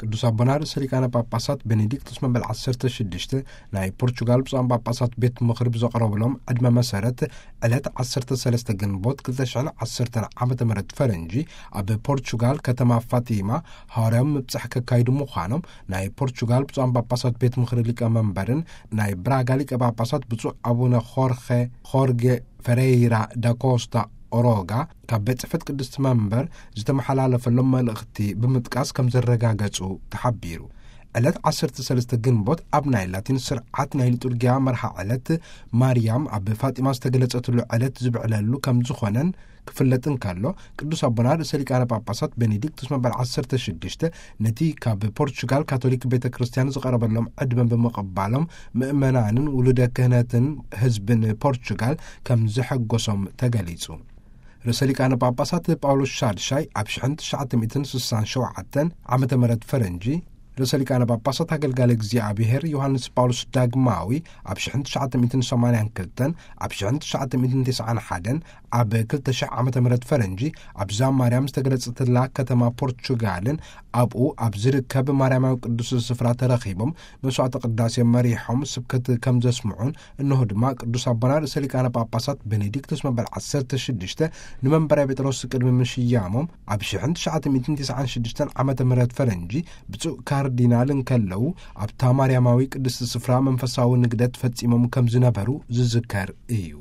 ቅዱስ ኣቦና ርእሰ ሊቃነ ጳጳሳት ቤኔዲክቶስ መበል ዓሰርተ ሽዱሽተ ናይ ፖርቹጋል ብፁዓን ጳጳሳት ቤት ምኽሪ ብዘቕረብሎም ዕድመ መሰረት፣ ዕለት ዓሰርተ ሰለስተ ግንቦት ክልተ ሽሕን ዓሰርተን ዓመተ ምህረት ፈረንጂ፣ ኣብ ፖርቹጋል ከተማ ፋቲማ ሃዋርያዊ ምብጻሕ ከካይዱ ምዃኖም ናይ ፖርቹጋል ብፁዓን ጳጳሳት ቤት ምኽሪ ሊቀ መንበርን ናይ ብራጋ ሊቀ ጳጳሳት ብፁዕ ኣቡነ ኾርኸ ኾርጌ ፈሬይራ ዳኮስታ ኦሮጋ ካብ ቤት ጽሕፈት ቅድስቲ መንበር ዝተመሓላለፈሎም መልእኽቲ ብምጥቃስ ከም ዘረጋገጹ ተሓቢሩ። ዕለት ዓሰርተ ሰለስተ ግንቦት ኣብ ናይ ላቲን ስርዓት ናይ ሊጡርጊያ መርሃ ዕለት ማርያም ኣብ ፋጢማ ዝተገለጸትሉ ዕለት ዝብዕለሉ ከም ዝኾነን ክፍለጥ እንከሎ፣ ቅዱስ ኣቦና ርእሰ ሊቃነ ጳጳሳት ቤኔዲክቱስ መበል ዓሰርተ ሽዱሽተ ነቲ ካብ ፖርቹጋል ካቶሊክ ቤተ ክርስቲያን ዝቐረበሎም ዕድመ ብምቕባሎም፣ ምእመናንን ውሉደ ክህነትን ህዝብን ፖርቹጋል ከም ዘሐጎሶም ተገሊጹ። ርእሰ ሊቃነ ጳጳሳት ጳውሎስ ሻድሻይ ኣብ ሽሕን ትሽዓተ ሚእትን ስሳን ሸውዓተን ዓመተ ምህረት ፈረንጂ፣ ርእሰ ሊቃነ ጳጳሳት ኣገልጋሊ እግዚኣብሔር ዮሃንስ ጳውሎስ ዳግማዊ ኣብ ሽሕን ትሽዓተ ሚእትን ሰማንያን ክልተን፣ ኣብ ሽሕን ትሽዓተ ሚእትን ተስዓን ሓደን፣ ኣብ ክልተ ሽሕ ዓመተ ምህረት ፈረንጂ ኣብዛ ማርያም ዝተገለጸትላ ከተማ ፖርቹጋልን ኣብኡ ኣብ ዝርከብ ማርያማዊ ቅዱስ ስፍራ ተረኺቦም መስዋዕተ ቅዳሴ መሪሖም ስብከት ከም ዘስምዑን፣ እንሆ ድማ ቅዱስ ኣቦና ርእሰ ሊቃነ ጳጳሳት ቤኔዲክቶስ መበል ዓሰርተ ሽዱሽተ ንመንበረ ጴጥሮስ ቅድሚ ምሽያሞም ኣብ ሽሕን ትሽዓተ ሚእትን ተስዓን ሽዱሽተን ዓመተ ምህረት ፈረንጂ ብፁዕ ካርዲናል እንከለዉ ኣብታ ማርያማዊ ቅድስቲ ስፍራ መንፈሳዊ ንግደት ፈጺሞም ከም ዝነበሩ ዝዝከር እዩ።